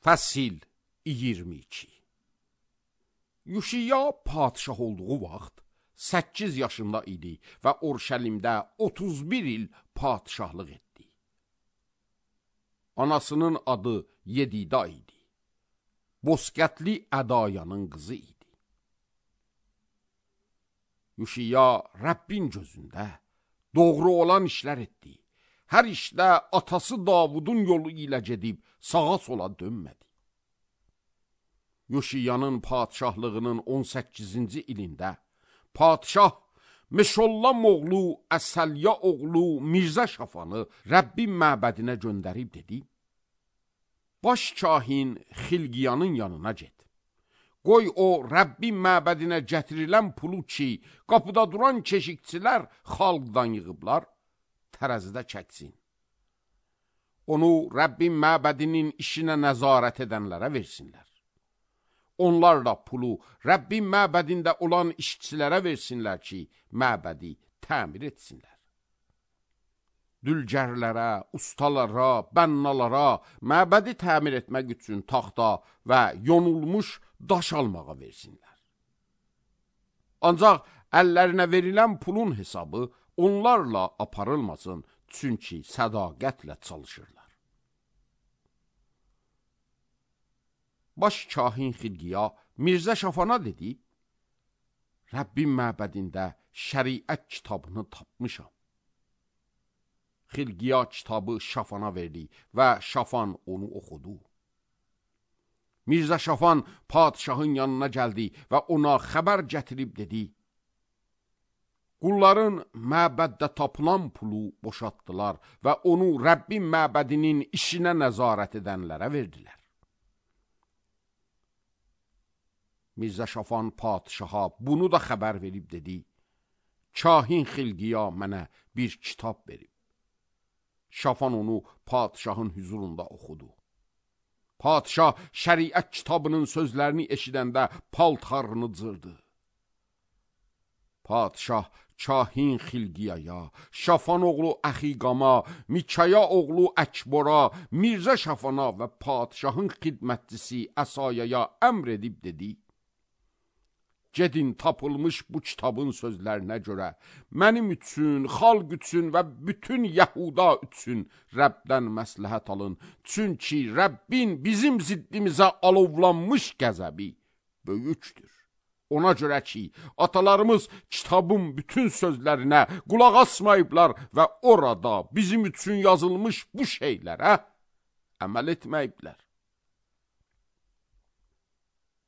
Fəsil 22. Yuşiya padişah olduğu vaxt 8 yaşında idi və Urşəlimdə 31 il padişahlıq etdi. Anasının adı Yedida idi. Boskətli Ədayanın qızı idi. Yuşiya Rəbbin gözündə doğru olan işlər etdi. Hər işdə atası Davudun yolu ilə gedib sağa sola dönmədi. Yuşiyanın padişahlığının 18-ci ilində padişah Meşollam oğlu Əsəlya oğlu Mirzə Şafanı Rəbbin məbədinə göndərib dedi: Baş kahin Xilqiyanın yanına get. Qoy o Rəbbin məbədinə gətirilən pulu ki, qapıda duran keşikçilər xalqdan yığıblar, tərəzidə çəksin. Onu Rəbbin məbədinin işinə nəzarət edənlərə versinlər. Onlar da pulu Rəbbin məbədində olan işçilərə versinlər ki, məbədi təmir etsinlər. Dülgərlərə, ustalara, bənnalara məbədi təmir etmək üçün taxta və yonulmuş daş almağa versinlər. Ancaq əllərinə verilən pulun hesabı onlarla aparılmasın, çünki sədaqətlə çalışırlar. Baş kahin Xilqiya Mirzə Şafana dedi: Rəbbin məbədində şəriət kitabını tapmışam. Xilqiya kitabı Şafana verdi və Şafan onu oxudu. Mirzə Şafan padişahın yanına gəldi və ona xəbər gətirib dedi: Qulların məbəddə tapılan pulu boşaltdılar və onu Rəbbin məbədinin işinə nəzarət edənlərə verdilər. Mirzə Şafan padişaha bunu da xəbər verib dedi: Kahin Xilqiya mənə bir kitab verib. Şafan onu padişahın hüzurunda oxudu. Padişah şəriət kitabının sözlərini eşidəndə paltarını cırdı. Padişah kahin Xilqiyaya, Şafan oğlu Əxiqama, Mikaya oğlu Əkbora, Mirzə Şafana və padişahın xidmətçisi Əsayaya əmr edib dedi: Gedin tapılmış bu kitabın sözlərinə görə mənim üçün, xalq üçün və bütün Yəhuda üçün Rəbdən məsləhət alın. Çünki Rəbbin bizim ziddimizə alovlanmış qəzəbi böyükdür. Ona görə ki, atalarımız kitabın bütün sözlərinə qulaq asmayıblar və orada bizim üçün yazılmış bu şeylərə əməl etməyiblər.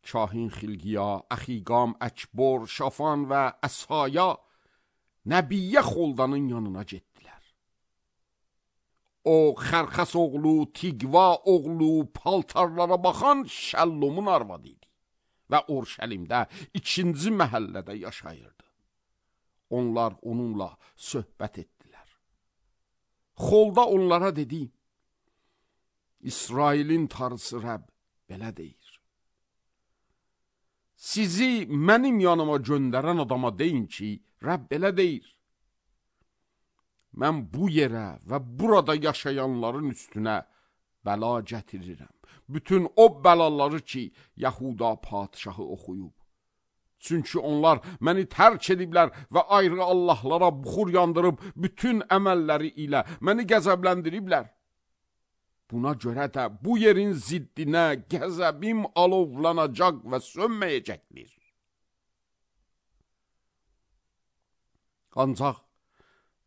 Kahin Xilqiya, Əxiqam, Əkbor, Şafan və Əsaya Nəbiyyə Xoldanın yanına getdilər. O, Xərxəs oğlu, Tiqva oğlu, paltarlara baxan Şəllumun arvadı idi və Urşəlimdə 2-ci məhəllədə yaşayırdı. Onlar onunla söhbət etdilər. Xolda onlara dedi: İsrailin Tanrısı Rəbb belə deyir: Sizi mənim yanıma göndərən adama deyin ki, Rəbb belə deyir: Mən bu yerə və burada yaşayanların üstünə bəla gətirirəm. Bütün o bəlaları ki, Yəhuda padişahı oxuyub. Çünki onlar məni tərk ediblər və ayrı Allahlara buxur yandırıb bütün əməlləri ilə məni qəzəbləndiriblər. Buna görə də bu yerin ziddinə qəzəbim alovlanacaq və sönməyəcəkdir. Ancaq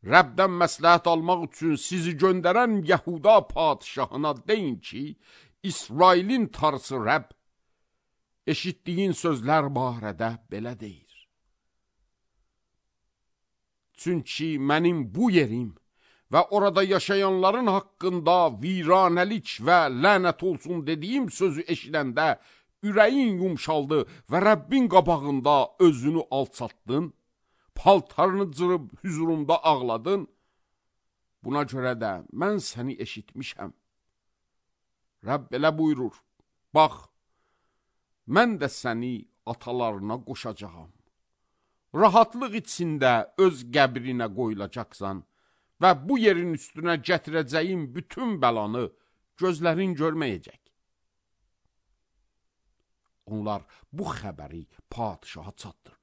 Rəbdən məsləhət almaq üçün sizi göndərən Yəhuda padişahına deyin ki, İsrailin Tanrısı Rəbb eşitdiyin sözlər barədə belə deyir: Çünki mənim bu yerim və orada yaşayanların haqqında viranəlik və lənət olsun dediyim sözü eşidəndə ürəyin yumşaldı və Rəbbin qabağında özünü alçatdın, paltarını cırıb hüzurumda ağladın. Buna görə də mən səni eşitmişəm. Rəbb elə buyurur: Bax, mən də səni atalarına qoşacağam. Rahatlıq içində öz qəbrinə qoyulacaqsan və bu yerin üstünə gətirəcəyim bütün bəlanı gözlərin görməyəcək. onlar bu xəbəri padşaha çatdırdılar.